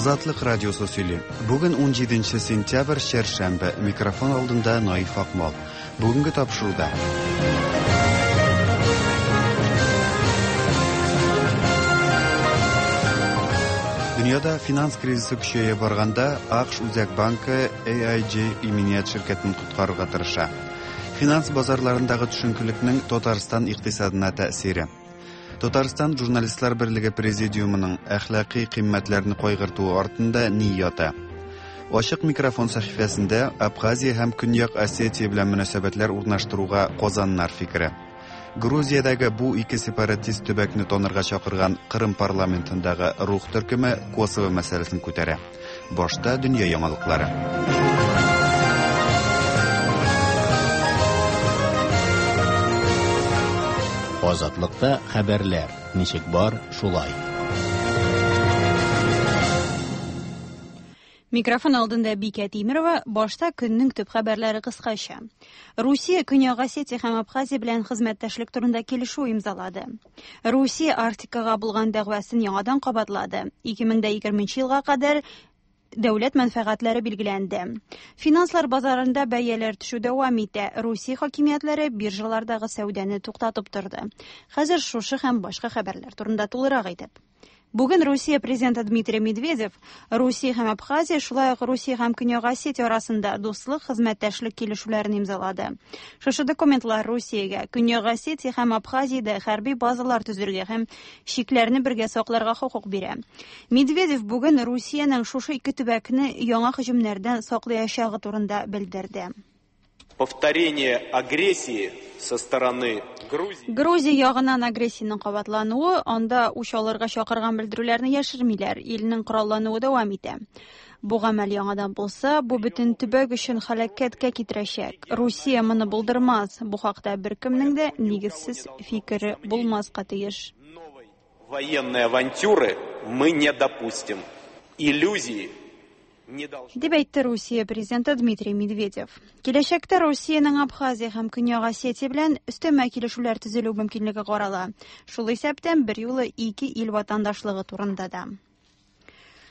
Азатлык радиосы сөйли. Бүген 17 сентябрь, чәршәмбе. Микрофон алдында Наиф Акмал. Бүгенге тапшыруда. Дөньяда финанс кризисы көчәя барганда, АКШ Үзәк банкы AIG иминият ширкәтен коткарырга тырыша. Финанс базарларындагы төшенкелекнең Татарстан икътисадына тәэсире. Татарстан Журналистлар берлеге президиумының әхлакый кыйммәтләрне кайгыртуы артында ни ята? Ачык микрофон сәхифәсендә Абхазия һәм Көньяк Осетия белән мөнәсәбәтләр урнаштыруга казаннар фикере. Грузиядәге бу ике сепаратист төбәкне танырга чакырган Кырым парламентындагы Рух төркеме Косово мәсьәләсен күтәрә. Башта дөнья яңалыклары. Азатлыкта хәбәрләр ничек бар, шулай. Микрофон алдында Бикә Тимерова, башта көннең төп хәбәрләре кыскача. Русия Көньяк Осетия һәм Абхазия белән хезмәттәшлек турында килешү имзалады. Русия Арктикага булган дәгъвасын яңадан кабатлады. 2020 елга кадәр дәүләт мәнфәгатьләре билгеләнде. Финанслар базарында бәяләр төшү дәвам итә. Русия хакимиятләре биржалардагы сәүдәне туктатып торды. Хәзер шушы һәм башка хәбәрләр турында тулырак итеп. Бүген Русия президенты Дмитрий Медведев Русия һәм Абхазия, шулай ук Русия һәм Көньяк Осетия арасында дуслык, хезмәттәшлек килешүләрен имзалады. Шушы документлар Русиягә Көньяк Осетия һәм Абхазиядә хәрби базалар төзергә һәм чикләрне бергә сакларга хокук бирә. Медведев бүген Русиянең шушы ике төбәкне яңа һөҗүмнәрдән саклаячагы турында белдерде. Повторение агрессии со стороны Грузии. Грузия ягыннан агрессиянең кабатлануы, анда үч алырга чакырган белдерүләрне яшермиләр, илнең кораллануы дәвам итә. Бу гамәл яңадан булса, бу бөтен төбәк өчен һәлакәткә китерәчәк. Русия моны булдырмас. Бу хакта беркемнең дә нигезсез фикере булмаска тиеш. Новой военной авантюры мы не допустим. Иллюзии не должны. Дип әйтте Русия президенты Дмитрий Медведев. Киләчәктә Русиянең Абхазия һәм Көньяк Осетия белән өстәмә килешүләр төзелү мөмкинлеге карала. Шул исәптән берьюлы ике ил ватандашлыгы турында да.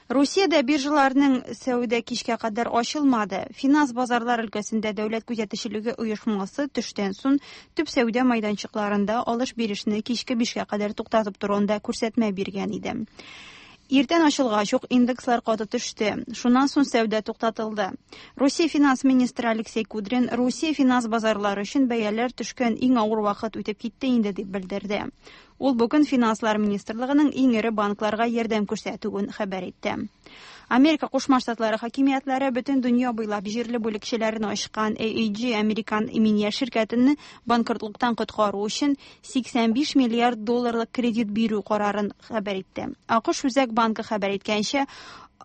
Русиядә биржаларның сәүдә кичкә кадәр ачылмады. Финанс базарлар өлкәсендә дәүләт күзәтчелеге оешмасы төштән соң төп сәүдә майданчыкларында алыш-бирешне кичке 5-кә кадәр туктатып торуында күрсәтмә биргән иде. Иртән ачылгач ук индекслар каты төште. Шуннан соң сәүдә туктатылды. Русия финанс министры Алексей Кудрин Русия финанс базарлары өчен бәяләр төшкән иң авыр вакыт үтеп китте инде дип белдерде. Ул бүген финанслар министрлыгының иң эре банкларга ярдәм күрсәтүен хәбәр итте. Америка Кушма Штатлары хакимиятләре бөтен дөнья буйлап җирле бүлекчәләрен ачкан AIG американ иминият ширкәтен банкротлыктан коткару өчен 85 миллиард долларлык кредит бирү карарын хәбәр итте. АКШ Үзәк банкы хәбәр иткәнчә,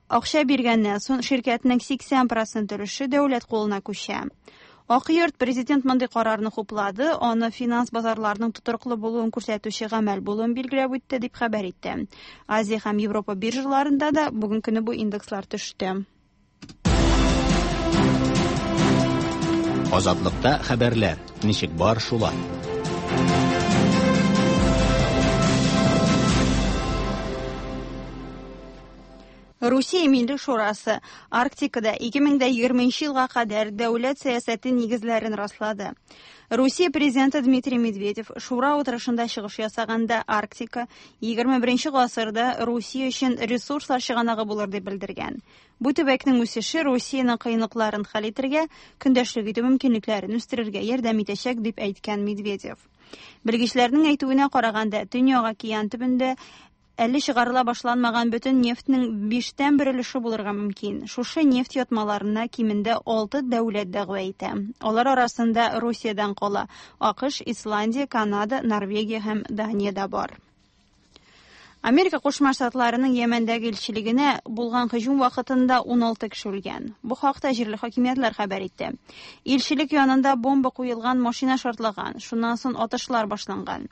акча биргәннән соң ширкәтнең 80% өлеше дәүләт кулына күчә. Ак йорт президент мондый карарны хуплады, аны финанс базарларының тотрыклы булуын күрсәтүче гамәл булуын билгеләп үтте, дип хәбәр итте. Азия һәм Европа биржаларында да бүген көне бу индекслар төште. Азатлыкта хәбәрләр ничек бар, шулай. Русия Милли Шурасы Арктикада 2020 елга кадәр дәүләт сәясәте нигезләрен раслады. Русия президенты Дмитрий Медведев Шура утырышында чыгыш ясаганда Арктика 21 гасырда Русия өчен ресурслар чыганагы булыр дип белдергән. Бу төбәкнең үсеше Русиянең кыенлыкларын хәл итәргә, көндәшлек итү мөмкинлекләрен үстерергә ярдәм итәчәк дип әйткән Медведев. Белгечләрнең әйтүенә караганда, Төньяк океан төбендә әле чыгарыла башланмаган бөтен нефтьнең 1/5 өлеше булырга мөмкин. Шушы нефть ятмаларына кимендә 6 дәүләт дәгъва итә. Алар арасында Русиядән кала АКШ, Исландия, Канада, Норвегия һәм Дания дә бар. Америка Кушма Штатларының Йәмәндәге илчелегенә булган һөҗүм вакытында 16 кеше үлгән. Бу хакта җирле хакимиятләр хәбәр итте. Илчелек янында бомба куелган машина шартлаган, шуннан соң атышлар башланган.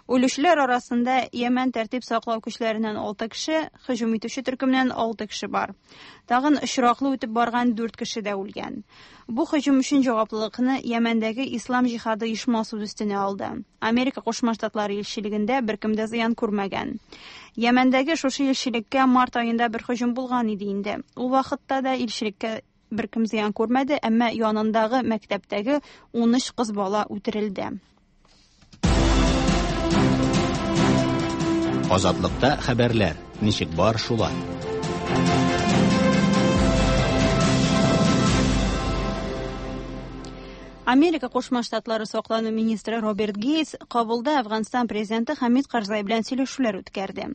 Үлүчеләр арасында Йәмән тәртип саклау көчләреннән 6 кеше, һөҗүм итүче төркемнән 6 кеше бар. Тагын очраклы үтеп барган 4 кеше дә үлгән. Бу һөҗүм өчен җаваплылыкны Йәмәндәге Ислам җихады оешмасы үз өстенә алды. Америка Кушма Штатлары илчелегендә беркем дә зыян күрмәгән. Йәмәндәге шушы илчелеккә март аенда бер һөҗүм булган иде инде. Ул вакытта да илчелеккә беркем зыян күрмәде, әмма янындагы мәктәптәге 13 кыз бала үтерелде. Азатлыкта хәбәрләр, ничек бар шулай. Америка Кушма Штатлары саклану министры Роберт Гейтс Кабулда Әфганстан президенты Хамид Карзай белән сөйләшүләр үткәрде.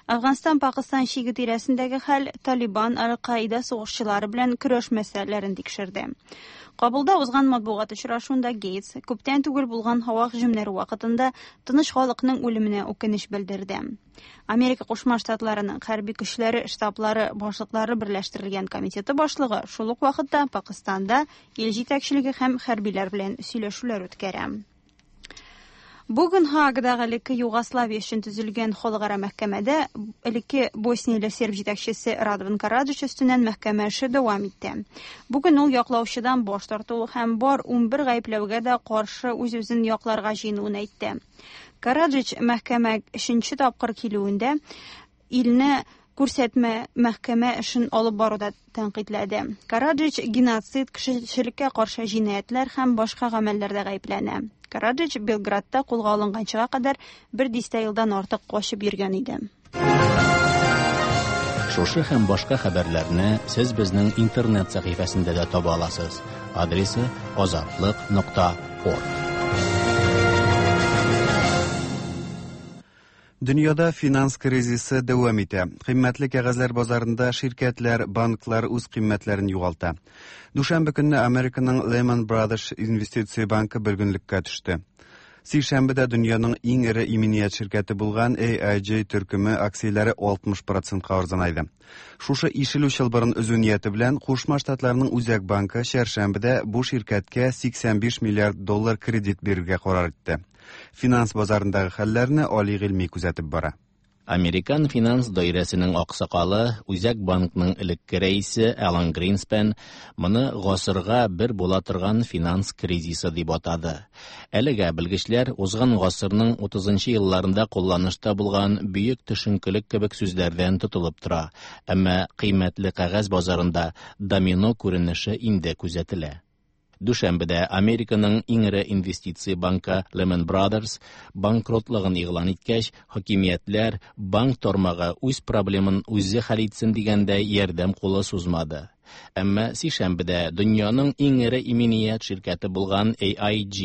Әфганстан-Пакыстан чиге тирәсендәге хәл Талибан, Аль-Каида сугышчылары белән көрәш мәсьәләләрен тикшерде. Кабулда узган матбугат очрашуында Гейтс күптән түгел булган һава һөҗүмнәре вакытында тыныч халыкның үлеменә үкенеч белдерде. Америка Кушма Штатларының хәрби көчләре штаблары башлыклары берләштерелгән комитеты башлыгы шул ук вакытта Пакыстанда ил җитәкчелеге һәм хәрбиләр белән сөйләшүләр үткәрә. Бүген Һаагадагы элекке Югославия өчен төзелгән халыкара мәхкәмәдә элекке Боснияле серб җитәкчесе Радован Караджич өстеннән мәхкәмә эше дәвам итте. Бүген ул яклаучыдан баш тартуы һәм бар 11 гаепләүгә дә каршы үз-үзен якларга җыенуын әйтте. Караджич мәхкәмә өченче тапкыр килүендә илне күрсәтмә мәхкәмә эшен алып баруда тәнкыйтьләде. Караджич геноцид, кешелеккә каршы җинаятьләр һәм башка гамәлләрдә гаепләнә. Караджич Белградта кулга алынганчыга кадәр бер дистә елдан артык качып йөргән иде. Шушы һәм башка хәбәрләрне сез безнең интернет сәхифәсендә дә таба аласыз. Адресы azatliq.org. Дөньяда финанс кризисы дәвам итә. Кыйммәтле кәгазьләр базарында ширкәтләр, банклар үз кыйммәтләрен югалта. Дүшәмбе көнне Американың Lehman Brothers инвестиция банкы бер көнлеккә төште. Сишәмбедә дөньяның иң эре иминият ширкәте булган AIG төркеме акцияләре 60%-ка арзанайды. Шушы ишелү чылбырын өзү нияте белән Кушма Штатларның Үзәк банкы чәршәмбедә бу ширкәткә 85 миллиард доллар кредит бирергә карар итте. Финанс базарындагы хәлләрне Али Гыйльми күзәтеп бара. Американ финанс даирәсенең аксакалы, Үзәк банкның элекке рәисе Алан Гринспен моны гасырга бер була торган финанс кризисы дип атады. Әлегә белгечләр узган гасырның 30 елларында кулланышта булган бөек төшенкелек кебек сүзләрдән тотылып тора. Әмма кыйммәтле кәгазь базарында домино күренеше инде күзәтелә. Дүшәмбедә Американың иң эре инвестиция банкы Lehman Brothers банкротлыгын игълан иткәч, хакимиятләр банк тармагы үз проблемын үзе хәл итсен дигәндәй ярдәм кулы сузмады. Әмма сишәмбедә дөньяның иң эре иминият ширкәте булган AIG,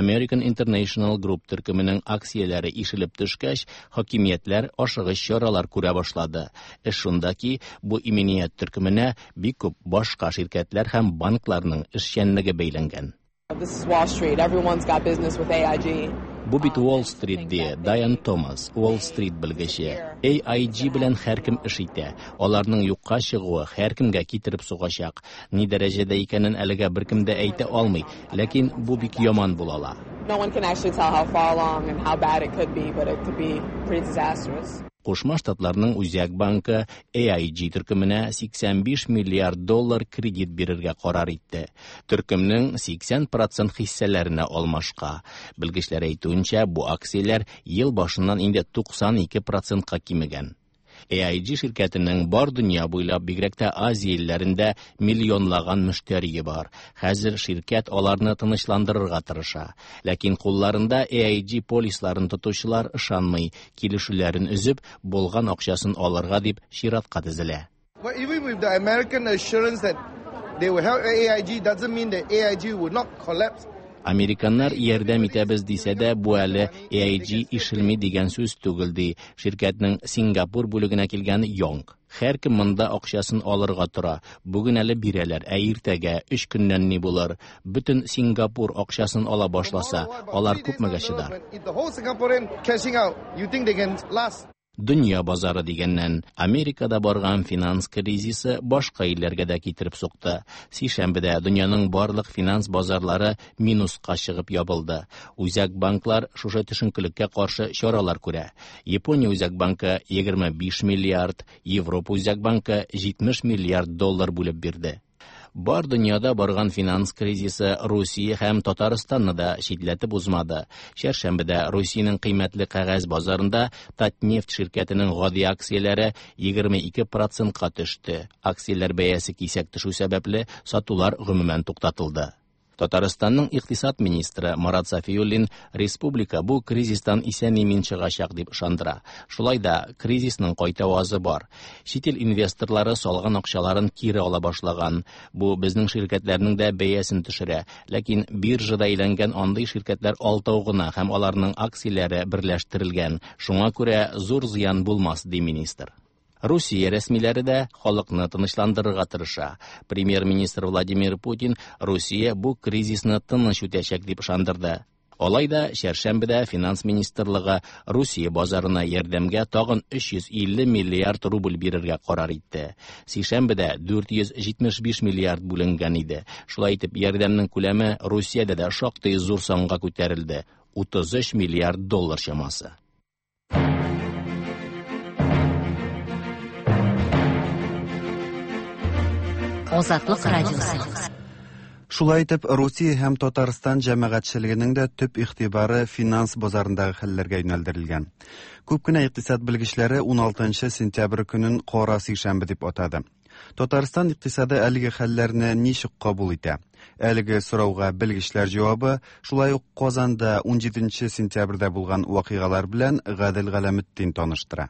American International Group төркеменең акцияләре ишелеп төшкәч, хакимиятләр ашыгыч чаралар күрә башлады. Эш шунда ки, бу иминият төркеменә бик күп башка ширкәтләр һәм банкларның эшчәнлеге бәйләнгән. This is Wall Street. Everyone's got business with AIG. Бу бит Уолл Стрит ди, Дайан Томас, Уолл Стрит белгече. AIG белән һәркем эш итә. Аларның юкка чыгуы һәркемгә китереп сугачак. Ни дәрәҗәдә икәнен әлегә беркем дә әйтә алмый, ләкин бу бик яман була ала. No one can actually tell how far along and how bad it could be, but it could be pretty disastrous. Кушма Штатларның Үзәк банкы AIG төркеменә 85 миллиард доллар кредит бирергә карар итте. Төркемнең 80% хиссәләренә алмашка. Белгечләр әйтүенчә, бу акцияләр ел башыннан инде 92%-ка кимегән. AIG ширкәтенең бар дөнья буйлап, бигрәк тә Азия илләрендә миллионлаган мөштәрие бар. Хәзер ширкәт аларны тынычландырырга тырыша. Ләкин кулларында AIG полисларын тотучылар ышанмый, килешүләрен өзеп, булган акчасын алырга дип чиратка тезелә. But even with the American assurance that they will help AIG doesn't mean that AIG will not collapse. Американнар ярдәм итәбез дисә дә, бу әле AIG ишелми дигән сүз түгел, ди ширкәтнең Сингапур бүлегенә килгән Йонг. Һәркем монда акчасын алырга тора. Бүген әле бирәләр, ә иртәгә 3 көннән ни булыр? Бөтен Сингапур акчасын ала башласа, алар күпмегә чыдар? If the whole Singaporean cashing out, you think they can last? Дөнья базары дигәннән, Америкада барган финанс кризисы башка илләргә дә китереп сукты. Сишәмбедә дөньяның барлык финанс базарлары минуска чыгып ябылды. Үзәк банклар шушы төшенкелеккә каршы чаралар күрә. Япония Үзәк банкы 25 миллиард, Европа Үзәк банкы 70 миллиард доллар бүлеп бирде. Бар дөньяда барган финанс кризисы Русия һәм Татарстанны да читләтеп узмады. Чәршәмбедә Русиянең кыйммәтле кәгазь базарында Татнефть ширкәтенең гади акцияләре 22 процентка төште. Акцияләр бәясе кисәк төшү сәбәпле, сатулар гомумән туктатылды. Татарстанның икътисад министры Марат Сафиуллин республика бу кризистан исән-имин чыгачак дип ышандыра. Шулай да кризисның кайтавазы бар. Чит ил инвесторлары салган акчаларын кире ала башлаган. Бу безнең ширкәтләрнең дә бәясен төшерә. Ләкин биржада әйләнгән андый ширкәтләр алтау гына һәм аларның акцияләре берләштерелгән. Шуңа күрә зур зыян булмас, ди министр. Русия рәсмиләре дә халыкны тынычландырырга тырыша. Премьер-министр Владимир Путин Русия бу кризисны тыныч үтәчәк дип ышандырды. Алай да чәршәмбедә финанс министрлыгы Русия базарына ярдәмгә тагын 350 миллиард рубль бирергә карар итте. Сишәмбедә 475 миллиард бүленгән иде. Шулай итеп, ярдәмнең күләме Русиядә дә шактый зур санга күтәрелде – 33 миллиард доллар чамасы. Азатлык радиосы. Шулай итеп, Русия һәм Татарстан җәмәгатьчелегенең дә төп игътибары финанс базарындагы хәлләргә юнәлдерелгән. Күп кенә икътисад белгечләре 16 сентябрь көнен кара сишәмбе дип атады. Татарстан икътисады әлеге хәлләрне ничек кабул итә? Әлеге сорауга белгечләр җавабы шулай ук Казанда 17 сентябрьдә булган вакыйгалар белән Гадел Галәметдин таныштыра.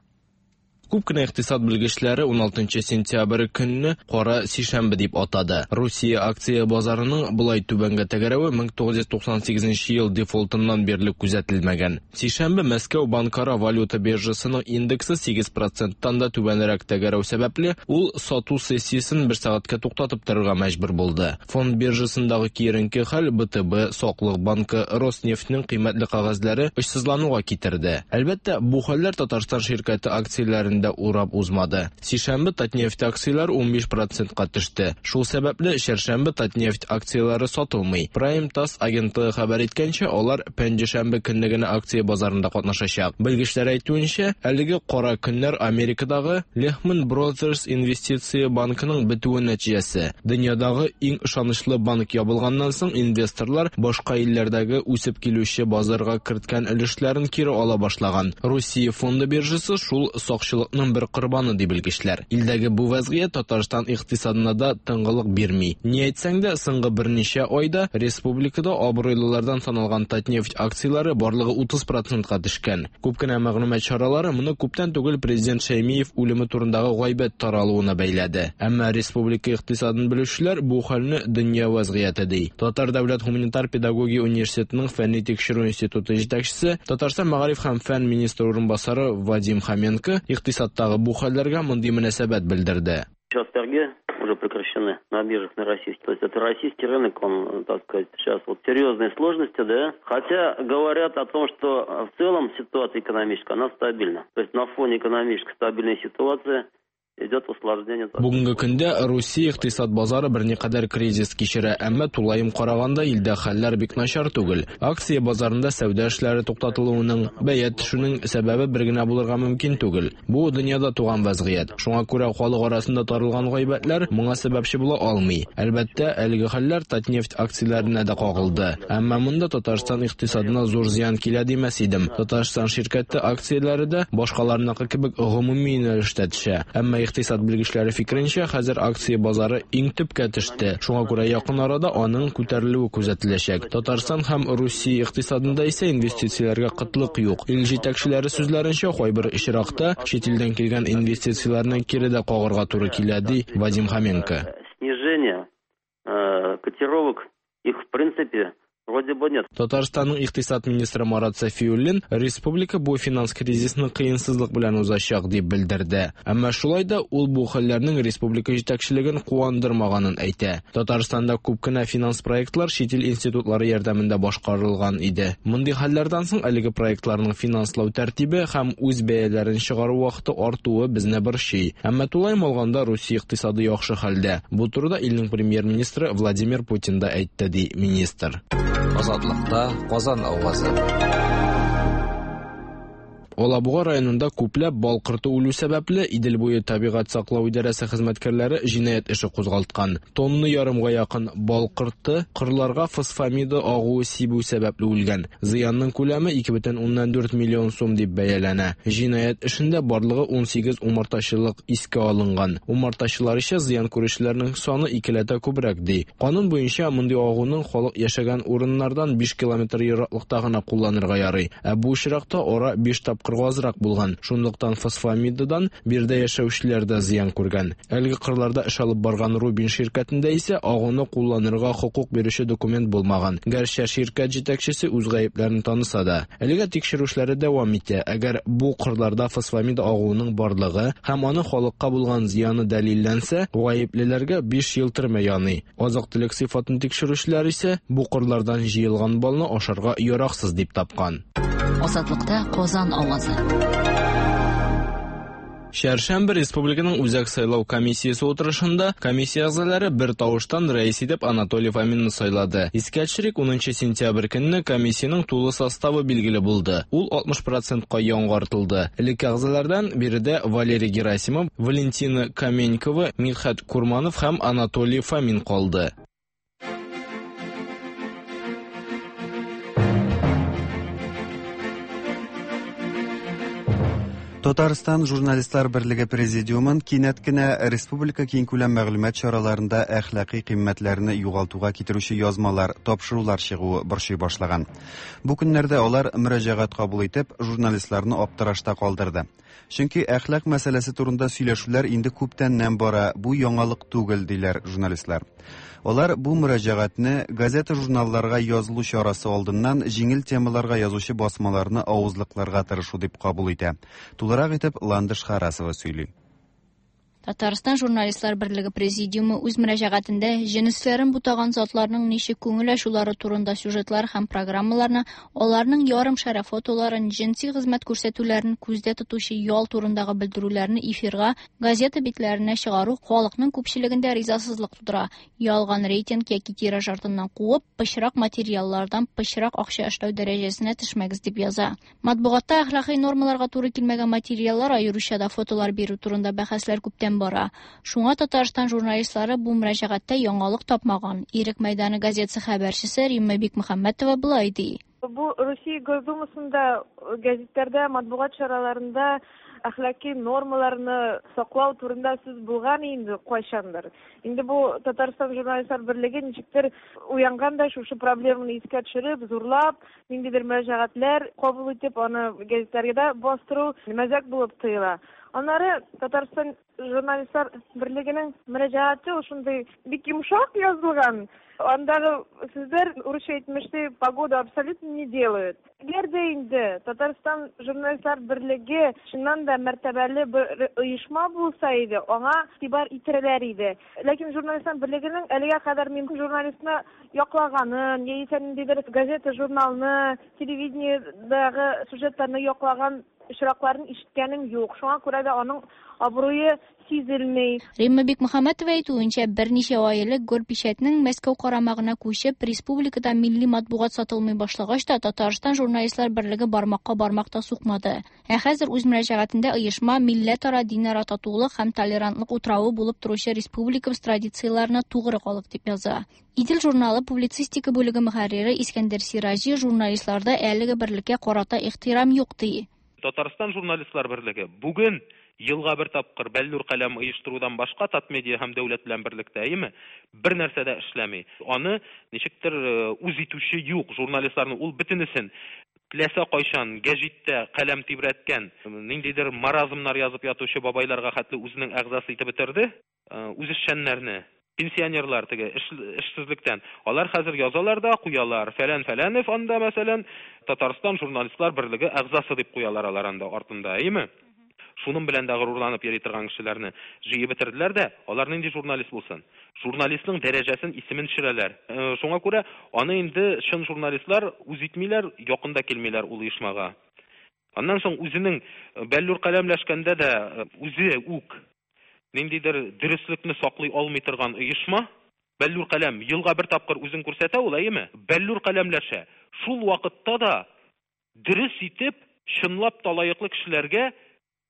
Күп кенә икътисад белгечләре 16 сентябрь көнне кара сишәмбе дип атады. Русия акция базарының болай түбәнгә тәгәрәве 1998 ел дефолтыннан бирле күзәтелмәгән. Сишәмбе Мәскәү банкара валюта биржасының индексы 8 проценттан да түбәнрәк тәгәрәү сәбәпле, ул сату сессиясен бер сәгатькә туктатып торырга мәҗбүр булды. Фонд биржасындагы киеренке хәл БТБ, Саклык банкы, Роснефтьнең кыйммәтле кәгазьләре очсызлануга китерде. Әлбәттә, бу хәлләр Татарстан ширкәте акцияләрен дә урап узмады. Сишәмбе Татнефть акцияләре 15 процентка төште. Шул сәбәпле чәршәмбе Татнефть акцияләре сатылмый. Prime TASS агентлыгы хәбәр иткәнчә, алар пәнҗешәмбе көнне генә акция базарында катнашачак. Белгечләр әйтүенчә, әлеге кара көннәр Америкадагы Lehman Brothers инвестиция банкының бетүе нәтиҗәсе. Дөньядагы иң ышанычлы банк ябылганнан соң инвесторлар башка илләрдәге үсеп килүче базарга керткән өлешләрен кире ала башлаган. Русия фонды биржасы шул сакчылыкның бер корбаны ди белгечләр. Илдәге бу вәзгыять Татарстан икътисадына да тынгылык бирми. Ни әйтсәң дә, соңгы берничә айда республикада абруйлылардан саналган Татнефть акцияләре барлыгы 30 процентка төшкән. Күп кенә мәгълүмат чаралары моны күптән түгел президент Шәймиев үлеме турындагы гайбәт таралуына бәйләде. Әмма республика икътисадын белүчеләр бу хәлне дөнья вәзгыяте ди. Татар дәүләт гуманитар педагогия университетының фәнни тикшерү институты җитәкчесе, Татарстан мәгариф һәм фән министры урынбасары Вадим Хоменко икътисадтагы бу хәлләргә мондый мөнәсәбәт белдерде. Сейчас торги уже прекращены на биржах на российских. То есть это российский рынок, он, так сказать, сейчас вот серьезные сложности, да. Хотя говорят о том, что в целом ситуация экономическая, она стабильна. То есть на фоне экономической стабильной ситуации идет усложнение. Бүгенге көндә Русия икътисад базары берникадәр кризис кичерә, әмма тулаем караганда илдә хәлләр бик начар түгел. Акция базарында сәүдә эшләре туктатылуының, бәя төшүнең сәбәбе бер генә булырга мөмкин түгел. Бу дөньяда туган вәзгыять. Шуңа күрә халык арасында таралган гайбәтләр моңа сәбәпче була алмый. Әлбәттә, әлеге хәлләр Татнефть акцияләренә дә кагылды. Әмма монда Татарстан икътисадына зур зыян килә димәс идем. Татарстан ширкәте акцияләре дә башкаларныкы кебек гомуми юнәлештә төшә. Әмма икътисад белгечләре фикеренчә, хәзер акция базары иң төпкә төште. Шуңа күрә якын арада аның күтәрелүе күзәтеләчәк. Татарстан һәм Русия икътисадында исә инвестицияләргә кытлык юк. Ил җитәкчеләре сүзләренчә, кайбер очракта чит илдән килгән инвестицияләрне кире дә кагарга туры килә, ди Вадим Хоменко. Снижение котировок их в принципе вроде бы нет. Татарстанның икътисад министры Марат Сафиуллин республика бу финанс кризисны кыенсызлык белән узачак дип белдерде. Әмма шулай да ул бу хәлләрнең республика җитәкчелеген куандырмаганын әйтә. Татарстанда күп кенә финанс проектлар чит ил институтлары ярдәмендә башкарылган иде. Мондый хәлләрдән соң әлеге проектларның финанслау тәртибе һәм үз бәяләрен чыгару вакыты артуы безне борчый. Әмма тулаем алганда Русия икътисады яхшы хәлдә. Бу турыда илнең премьер-министры Владимир Путин да әйтте, ди министр. Азатлыкта Казан авазы. Алабуга районында күпләп бал корты үлү сәбәпле, Идел буе табигать саклау идарәсе хезмәткәрләре җинаять эше кузгалткан. Тонна ярымга якын бал корты кырларга фосфамида агуы сибү сәбәпле үлгән. Зыянның күләме 2,4 миллион сум дип бәяләнә. Җинаять эшендә барлыгы 18 умартачылык искә алынган. Умартачылар исә зыян күрүчеләрнең саны икеләтә күбрәк ди. Канун буенча мондый агуның халык яшәгән урыннардан 5 километр ераклыкта гына кулланырга ярый. Ә бу очракта ара 5 тапкырга азрак булган. Шунлыктан фосфамидадан биредә яшәүчеләр дә зыян күргән. Әлеге кырларда эш алып барган Рубин ширкәтендә исә агуны кулланырга хокук бирүче документ булмаган. Гәрчә ширкәт җитәкчесе үз гаепләрен таныса да. Әлегә тикшерү эшләре дәвам итә. Әгәр бу кырларда фосфамид агуының барлыгы һәм аны халыкка булган зыяны дәлилләнсә, гаеплеләргә 5 ел төрмә яный. Азык-төлек сыйфатын тикшерүчеләр исә бу кырлардан җыелган балны ашарга яраксыз дип тапкан. Азатлыкта Казан авазы. Чәршәмбе республиканың Үзәк сайлау комиссиясе утырышында комиссия әгъзалары бер тавыштан рәис итеп Анатолий Фоминны сайлады. Искә төшерик, 10 сентябрь көнне комиссиянең тулы составы билгеле булды. Ул 60%-ка яңартылды. Элекке әгъзалардан биредә Валерий Герасимов, Валентина Каменькова, Мидхәт Курманов һәм Анатолий Фомин калды. Татарстан журналистлар берлеге президиумын кинәт кенә республика киңкүләм мәгълүмат чараларында әхлакый кыйммәтләрне югалтуга китерүче язмалар, тапшырулар чыгуы борчый башлаган. Бу көннәрдә алар мөрәҗәгать кабул итеп, журналистларны аптырашта калдырды. Чөнки әхлак мәсьәләсе турында сөйләшүләр инде күптәннән бара, бу яңалык түгел, диләр журналистлар. Алар бу мөрәҗәгатьне газета-журналларга язылу чарасы алдыннан җиңел темаларга язучы басмаларны авызлыкларга тырышу дип кабул итә. Тулырак итеп Ландыш Харасова сөйли. Татарстан журналистлар берлеге президиумы үз мөрәҗәгатендә җенесләрен бутаган затларның ничек күңел ачулары турында сюжетлар һәм программаларны, аларның ярым шәрә фотоларын, җенси хезмәт күрсәтүләрен күздә тотучы ял турындагы белдерүләрне эфирга, газета битләренә чыгару халыкның күпчелегендә ризасызлык тудыра. Ялган рейтинг яки тираж артыннан куып, пычрак материаллардан пычрак акча эшләү дәрәҗәсенә төшмәгез дип яза. Матбугатта әхлакый нормаларга туры килмәгән материаллар, аеруча да фотолар бирү турында бәхәсләр күптән бара. Шуңа Татарстан журналистлары бу мөрәҗәгатьтә яңалык тапмаган. Ирек мәйданы газетасы хәбәрчесе Римма Бикмөхәммәтова болай ди. Бу Русия Госдумасында, гәзитләрдә, матбугат чараларында әхлаки нормаларны саклау турында сүз булган инде кайчандыр. Инде бу Татарстан журналистлар берлеге ничектер уянган да шушы проблеманы искә төшереп, зурлап, ниндидер мөрәҗәгатьләр кабул итеп, аны гәзитләргә дә бастыру мәзәк булып тоела. Аннары Татарстан журналистлар берлегенең мөрәҗәгате ул шундый бик йомшак язылган. Андагы сүзләр, урысча әйтмешли, погоду абсолютно не делают. Әгәр дә инде Татарстан журналистлар берлеге чыннан да мәртәбәле бер оешма булса иде, аңа игътибар итерләр иде. Ләкин журналистлар берлегенең әлегә кадәр мин журналистны яклаганын, яисә ниндидер газета, журналны, телевидениедагы сюжетларны яклаган очракларын ишеткәнем юк. Шуңа күрә дә аның абруе сизелми. Римма Бикмөхәммәтова әйтүенчә, берничә ай элек Горпечатьнең Мәскәү карамагына күчеп, республикада милли матбугат сатылмый башлагач та Татарстан журналистлар берлеге бармакка бармак та сукмады. Ә хәзер үз мөрәҗәгатендә оешма милләтара, динара татулык һәм толерантлык утравы булып торучы республикабыз традицияләренә тугры калык дип яза. Идел журналы публицистика бүлеге мөхәррире Искәндәр Сираҗи журналистларда әлеге берлеккә карата ихтирам юк ди. Татарстан журналистлар берлеге бүген елга бер тапкыр бәллүр каләм оештырудан башка Татмедиа һәм дәүләт белән берлектә, әйеме, бер нәрсә дә эшләми. Аны ничектер үз итүче юк журналистларның, ул бөтенесен теләсә кайчан гәҗиттә каләм тибрәткән, ниндидер маразмнар язып ятучы бабайларга хәтле үзенең әгъзасы итеп бетерде, үзешчәннәрне, пенсионерлар теге эшсезлектән. Алар хәзер язалар да куялар. Фәлән Фәләнев анда, мәсәлән, Татарстан журналистлар берлеге әгъзасы дип куялар алар анда артында, әйеме? Шуның белән дә горурланып йөри торган кешеләрне җыеп бетерделәр дә, алар нинди журналист булсын? Журналистның дәрәҗәсен, исемен төшерәләр. Шуңа күрә аны инде чын журналистлар үз итмиләр, якын да килмиләр ул оешмага. Аннан соң үзенең бәллүр каләмләшкәндә дә үзе үк ниндидер дөреслекне саклый алмый торган оешма, бәллүр каләм елга бер тапкыр үзен күрсәтә ул, әйеме? Бәллүр каләмләшә. Шул вакытта да дөрес итеп Чынлап та лаеклы кешеләргә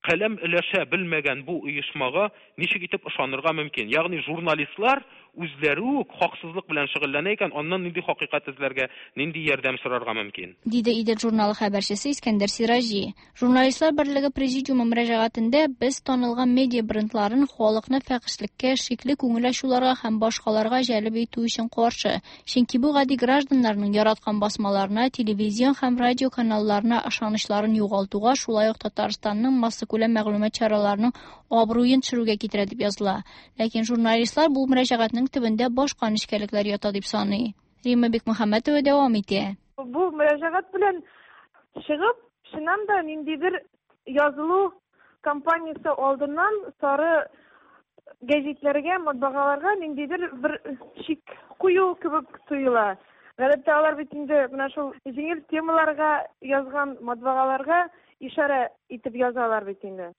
каләм өләшә белмәгән бу оешмага ничек итеп ышанырга мөмкин? Ягъни журналистлар үзләре үк хаксызлык белән шөгыльләнә икән, аннан нинди хакыйкать эзләргә, нинди ярдәм сорарга мөмкин? Диде Идел журналы хәбәрчесе Искәндәр Сираҗи. Журналистлар берлеге президиумы мөрәҗәгатендә без танылган медиа брендларын халыкны фәхешлеккә, шикле күңел ачуларга һәм башкаларга җәлеп итү өчен каршы, чөнки бу гади гражданнарның яраткан басмаларына, телевизион һәм радио каналларына ышанычларын югалтуга, шулай ук Татарстанның массакүләм мәгълүмат чараларының абруен төшерүгә китерә дип языла. Ләкин журналистлар бу мөрәҗәгатьнең төбендә башка нечкәлекләр ята дип саный. Римма Бикмөхәммәтова дәвам итә. Бу мөрәҗәгать белән чыгып, чыннан да ниндидер язылу кампаниясе алдыннан сары гәзитләргә, матбагаларга ниндидер бер шик кую кебек тоела. Гадәттә алар бит инде менә шул җиңел темаларга язган матбагаларга ишарә итеп язалар бит инде.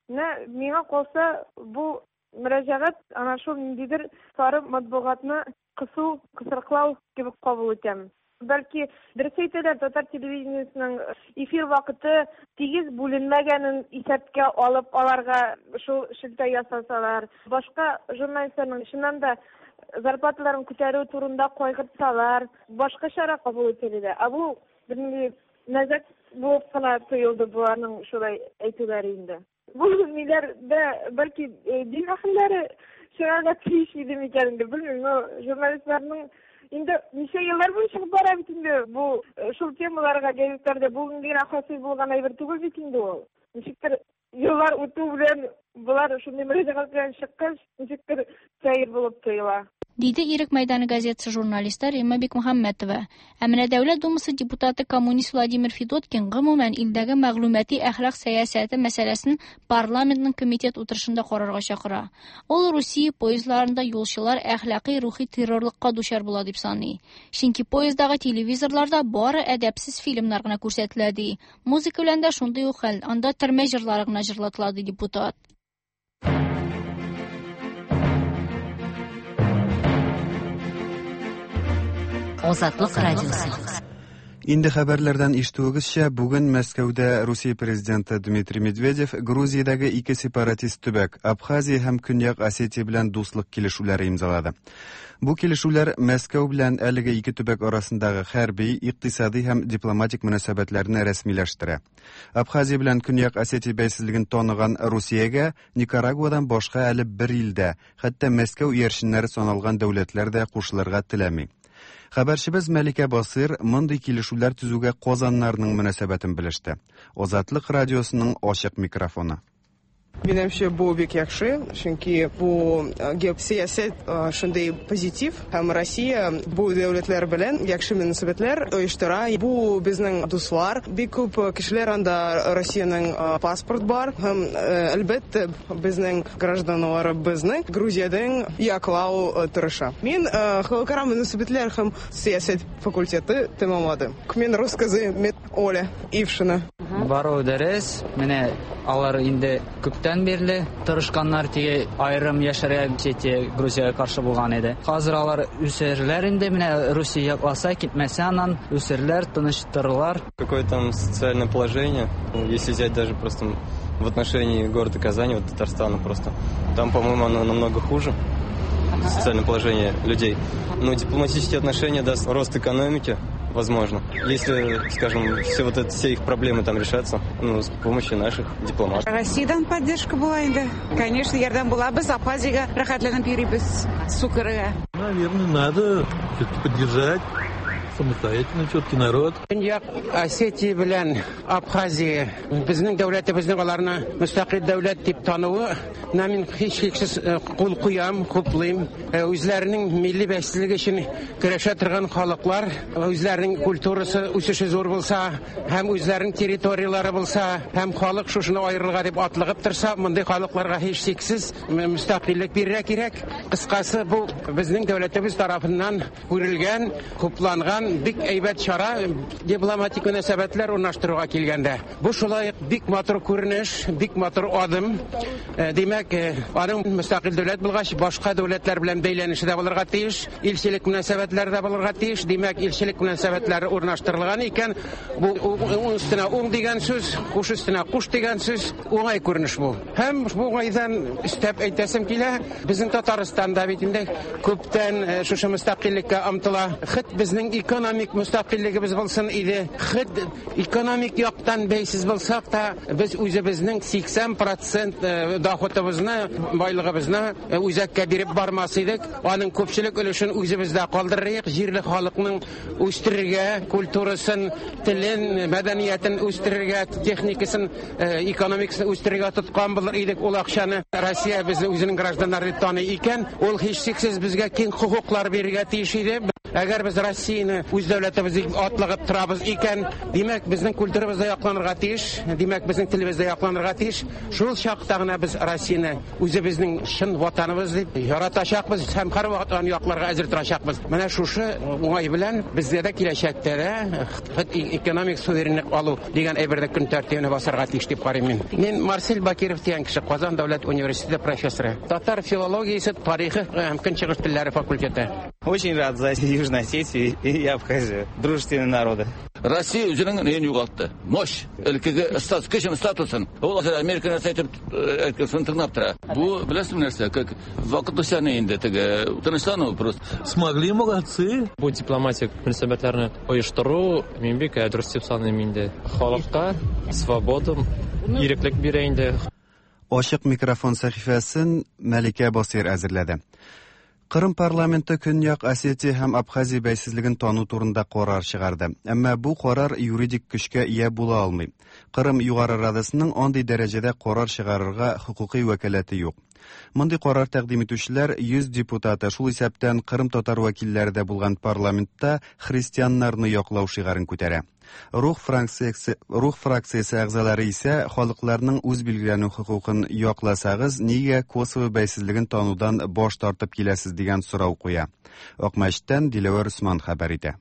Менә миңа калса, бу мөрәҗәгать ана шул ниндидер сары матбугатны кысу, кысрыклау кебек кабул итәм. Бәлки дөрес әйтәләр, татар телевидениесының эфир вакыты тигез бүленмәгәнен исәпкә алып, аларга шул шелтә ясасалар, башка журналистларның чыннан да зарплаталарын күтәрү турында кайгыртсалар, башка чара кабул ителер иде. Ә бу бернинди мәзәк булып кына тоелды боларның шулай әйтүләре инде. Бу ниләр дә бәлки дин әһелләре чыгарга тиеш иде микән инде, белмим, но журналистларның инде ничә еллар буе чыгып бара бит инде бу шул темаларга гәзитләрдә бүген генә хасил булган әйбер түгел бит инде ул. Ничектер еллар үтү белән болар шундый мөрәҗәгать белән чыккач, ничектер сәер булып тоела. Диде Ирек мәйданы газетасы журналисты Римма Бикмөхәммәтова. Ә менә Дәүләт Думасы депутаты коммунист Владимир Федоткин гомумән илдәге мәгълүмати әхлак сәясәте мәсьәләсен парламентның комитет утырышында карарга чакыра. Ул Русия поездларында юлчылар әхлакый рухи террорлыкка дучар була дип саный. Чөнки поезддагы телевизорларда бары әдәпсез фильмнар гына күрсәтелә ди. Музыка белән дә шундый ук хәл, анда төрмә җырлары гына җырлатыла ди депутат. Азатлык радиосы. Инде хәбәрләрдән ишетүегезчә, бүген Мәскәүдә Русия президенты Дмитрий Медведев Грузиядәге ике сепаратист төбәк Абхазия һәм Көньяк Осетия белән дуслык килешүләре имзалады. Бу килешүләр Мәскәү белән әлеге ике төбәк арасындагы хәрби, икътисади һәм дипломатик мөнәсәбәтләрне рәсмиләштерә. Абхазия белән Көньяк Осетия бәйсезлеген таныган Русиягә Никарагуадан башка әле бер илдә, хәтта Мәскәү иярченнәре саналган дәүләтләр дә кушылырга теләми. Хәбәрчебез Мәликә Басыр мондый килешүләр төзүгә казаннарның мөнәсәбәтен белеште. Азатлык радиосының ачык микрофоны. Минемчә, бу бик яхшы, чөнки бу геосәясәт шундый позитив, һәм Россия бу дәүләтләр белән яхшы мөнәсәбәтләр оештыра. Бу безнең дуслар, бик күп кешеләр анда Россиянең паспорт бар, һәм әлбәттә безнең гражданнарыбызны Грузиядән яклау тырыша. Мин халыкара мөнәсәбәтләр һәм сәясәт факультеты тәмамладым. Мин рус кызы, мин Оля Ившина. Бару дөрес, менә алар инде күптән бирле тырышканнар, теге аерым яшәргә Осетия Грузиягә каршы булган иде. Хәзер алар үсәрләр инде, менә Русия якласа, китмәсә аннан үсәрләр, тыныштырырлар. Какое там социальное положение, если взять даже просто в отношении города Казани, вот Татарстана просто, там, по-моему, оно намного хуже, социальное положение людей. Но дипломатические отношения даст рост экономики, возможно, если, скажем, все вот это, все их проблемы там решатся, ну, с помощью наших дипломатов. Россиядан поддержка була инде. Конечно, ярдәм була. Без Абхазиягә рәхәтләнеп йөрибез, су керергә. Наверное, надо все-таки поддержать самостоятельный все-таки народ. Көньяк Осетия белән Абхазия безнең дәүләтебезнең аларны мөстәкыйль дәүләт дип тануы на мин һичшиксез кул куям, хуплыйм. Үзләренең милли бәйсезлеге өчен көрәшә торган халыклар, үзләренең культурасы үсеше зур булса, һәм үзләренең территорияләре булса, һәм халык шушыны аерылга дип атлыгып торса, мондый халыкларга һичшиксез мөстәкыйльлек бирергә кирәк. Кыскасы, бу безнең дәүләтебез тарафыннан күрелгән, хупланган яктан бик әйбәт чара дипломатик мөнәсәбәтләр урнаштыруга килгәндә. Бу шулай ук бик матур күренеш, бик матур адым. Димәк, аның мөстәкыйль дәүләт булгач, башка дәүләтләр белән бәйләнеше дә булырга тиеш, илчелек мөнәсәбәтләре дә булырга тиеш. Димәк, илчелек мөнәсәбәтләре урнаштырылган икән, бу уң өстенә уң дигән сүз, куш өстенә куш дигән сүз, уңай күренеш бу. Һәм бу уңайдан өстәп әйтәсем килә, безнең Татарстан да бит инде күптән шушы мөстәкыйльлеккә омтыла. Хет безнең экономик мөстәкыйльлегебез булсын иде, хет экономик яктан бәйсез булсак та, без үзебезнең 80 процент доходыбызны, байлыгыбызны үзәккә биреп бармас идек. Аның күпчелек өлешен үзебездә калдырыйк, җирле халыкның үстерергә, культурасын, телен, мәдәниятен үстерергә, техникасын, экономикасын үстерергә тоткан булыр идек ул акчаны. Россия безне үзенең гражданнары дип таный икән, ул һичшиксез безгә киң хокуклар бирергә тиеш иде. Әгәр без Россияне үз дәүләтебез дип атлыгып торабыз икән, димәк, безнең культурабыз да якланырга тиеш, димәк, безнең телебез дә якланырга тиеш. Шул чакта гына без Россияне үзебезнең чын ватаныбыз дип яратачакбыз һәм һәрвакыт аны якларга әзер торачакбыз. Менә шушы уңай белән безгә дә киләчәктә дә экономик суверенлык алу дигән әйберне көн тәртибенә басарга тиеш дип карыйм мин. Мин Марсель Бакиров дигән кеше, Казан дәүләт университеты профессоры, татар филологиясе, тарихы һәм көнчыгыш телләре факультеты. Очень рад за Южную Осетию и Абхазию, дружественные народы. Россия үзенең неен югалтты. Мощь, элеккеге статус, кешенең статусын. Ул хәзер Америка нәрсә әйтеп әйткәнен тыңлап тора. Бу беләсеңме нәрсә, как вакытлыча ни инде теге тынычлану просто. Смогли, молодцы. Бу дипломатик мөнәсәбәтләрне оештыру мин бик дөрес дип саныйм инде. Халыкка свобода, иреклек бирә инде. Ачык микрофон сәхифәсен Мәликә Басыйр әзерләде. Кырым парламенты Көньяк Осетия һәм Абхазия бәйсезлеген тану турында карар чыгарды. Әмма бу карар юридик көчкә ия була алмый. Кырым Югары Радасының андый дәрәҗәдә карар чыгарырга хокукый вәкаләте юк. Мондый карар тәкъдим итүчеләр 100 депутаты, шул исәптән Кырым татар вәкилләре дә булган парламентта христианнарны яклау шигарен күтәрә. Рух фракциясе, Рух фракциясе әгъзалары исә халыкларның үз билгеләнү хокукын якласагыз, нигә Косово бәйсезлеген танудан баш тартып киләсез дигән сорау куя. Акмәчеттән Диләвәр Усман хәбәр итә.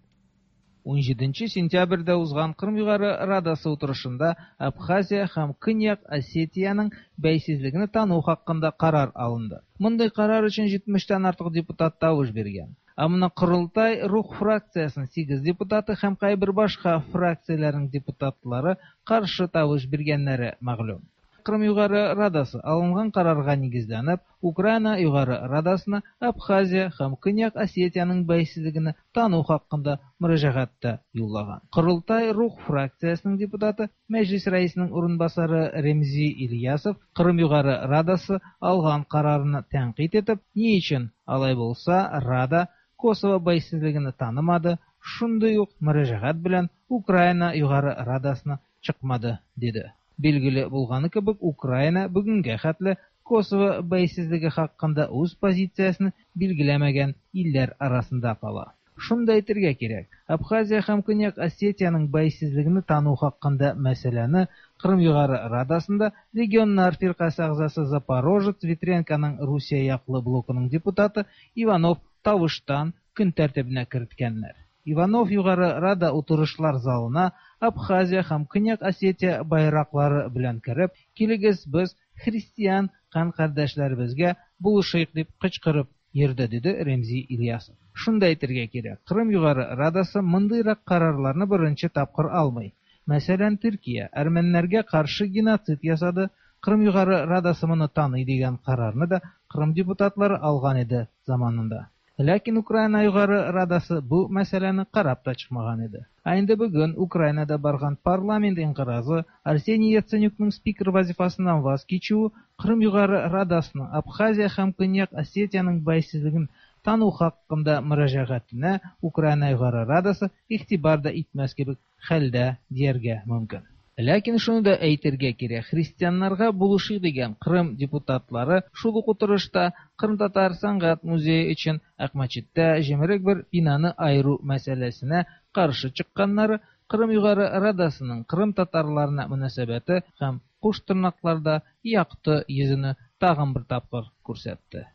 17 сентябрьдә узган Кырым Югары Радасы утырышында Абхазия һәм Көньяк Осетиянең бәйсезлегене тану хакында карар алынды. Мондый карар өчен 70 тән артык депутат тавыш биргән. Ә моны Корылтай Рух фракциясенең 8 депутаты һәм кайбер башка фракцияләрнең депутатлары каршы тавыш биргәннәре мәгълүм. Кырым Югары Радасы алынган карарга нигезләнеп, Украина Югары Радасына Абхазия һәм Көньяк Осетиянең бәйсезлегене тану хакында мөрәҗәгать тә юллаган. Корылтай Рух фракциясенең депутаты, Мәҗлис рәисенең урынбасары Ремзи Ильясов Кырым Югары Радасы алган карарны тәнкыйть итеп, ни өчен алай булса Рада Косово бәйсезлегене танымады, шундый ук мөрәҗәгать белән Украина Югары Радасына чыкмады, диде. Билгеле булганы кебек, Украина бүгенгә хәтле Косово бәйсезлеге хакында үз позициясен билгеләмәгән илләр арасында кала. Шуны да әйтергә кирәк, Абхазия һәм Көньяк Осетиянең бәйсезлегене тану хакында мәсьәләне Кырым Югары Радасында Регионнар фиркасе әгъзасы Запорожец Витренконың Русия яклы блокының депутаты Иванов тавыштан көн тәртибенә керткәннәр. Иванов Югары Рада утырышлар залына Абхазия һәм Көньяк Осетия байраклары белән кереп, килегез без христиан кан-кардәшләребезгә булышыйк дип кычкырып йөрде, диде Ремзи Ильясов. Шуны да әйтергә кирәк, Кырым Югары Радасы мондыйрак карарларны беренче тапкыр алмый. Мәсәлән, Төркия әрмәннәргә каршы геноцид ясады, Кырым Югары Радасы моны таный дигән карарны да Кырым депутатлары алган иде заманында. Ләкин Украина Югары Радасы бу мәсьәләне карап та чыкмаган иде. Ә инде бүген Украинада барган парламент инкыразы Арсений Яценюкның спикер вазифасыннан ваз кичүе Кырым Югары Радасының Абхазия һәм Көньяк Осетиянең бәйсезлеген тану хакында мөрәҗәгатенә Украина Югары Радасы игътибар да итмәс кебек хәлдә дияргә мөмкин. Ләкин шуны да әйтергә кирәк, христианнарга булышыйк дигән Кырым депутатлары шул ук утырышта Кырымтатар сәнгать музее өчен Акмәчеттә җимерек бер бинаны аеру мәсьәләсенә каршы чыкканнары Кырым Югары Радасының Кырым татарларына мөнәсәбәте һәм куш тырнакларда якты йөзене тагын бер тапкыр күрсәтте.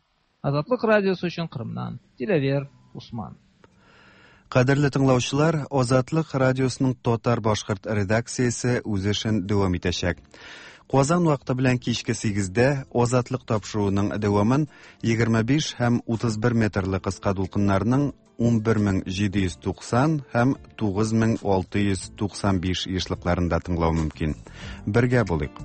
Азатлык радиосы өчен Кырымнан Диләвер Усман. Кадерле тыңлаучылар, Азатлык радиосының татар-башкорт редакциясе үз эшен дәвам итәчәк. Казан вакыты белән кичке 8-дә Азатлык тапшыруының дәвамын 25 һәм 31 метрлы кыска дулкыннарның 11790 һәм 9695 ешлыкларында тыңлау мөмкин. Бергә булыйк.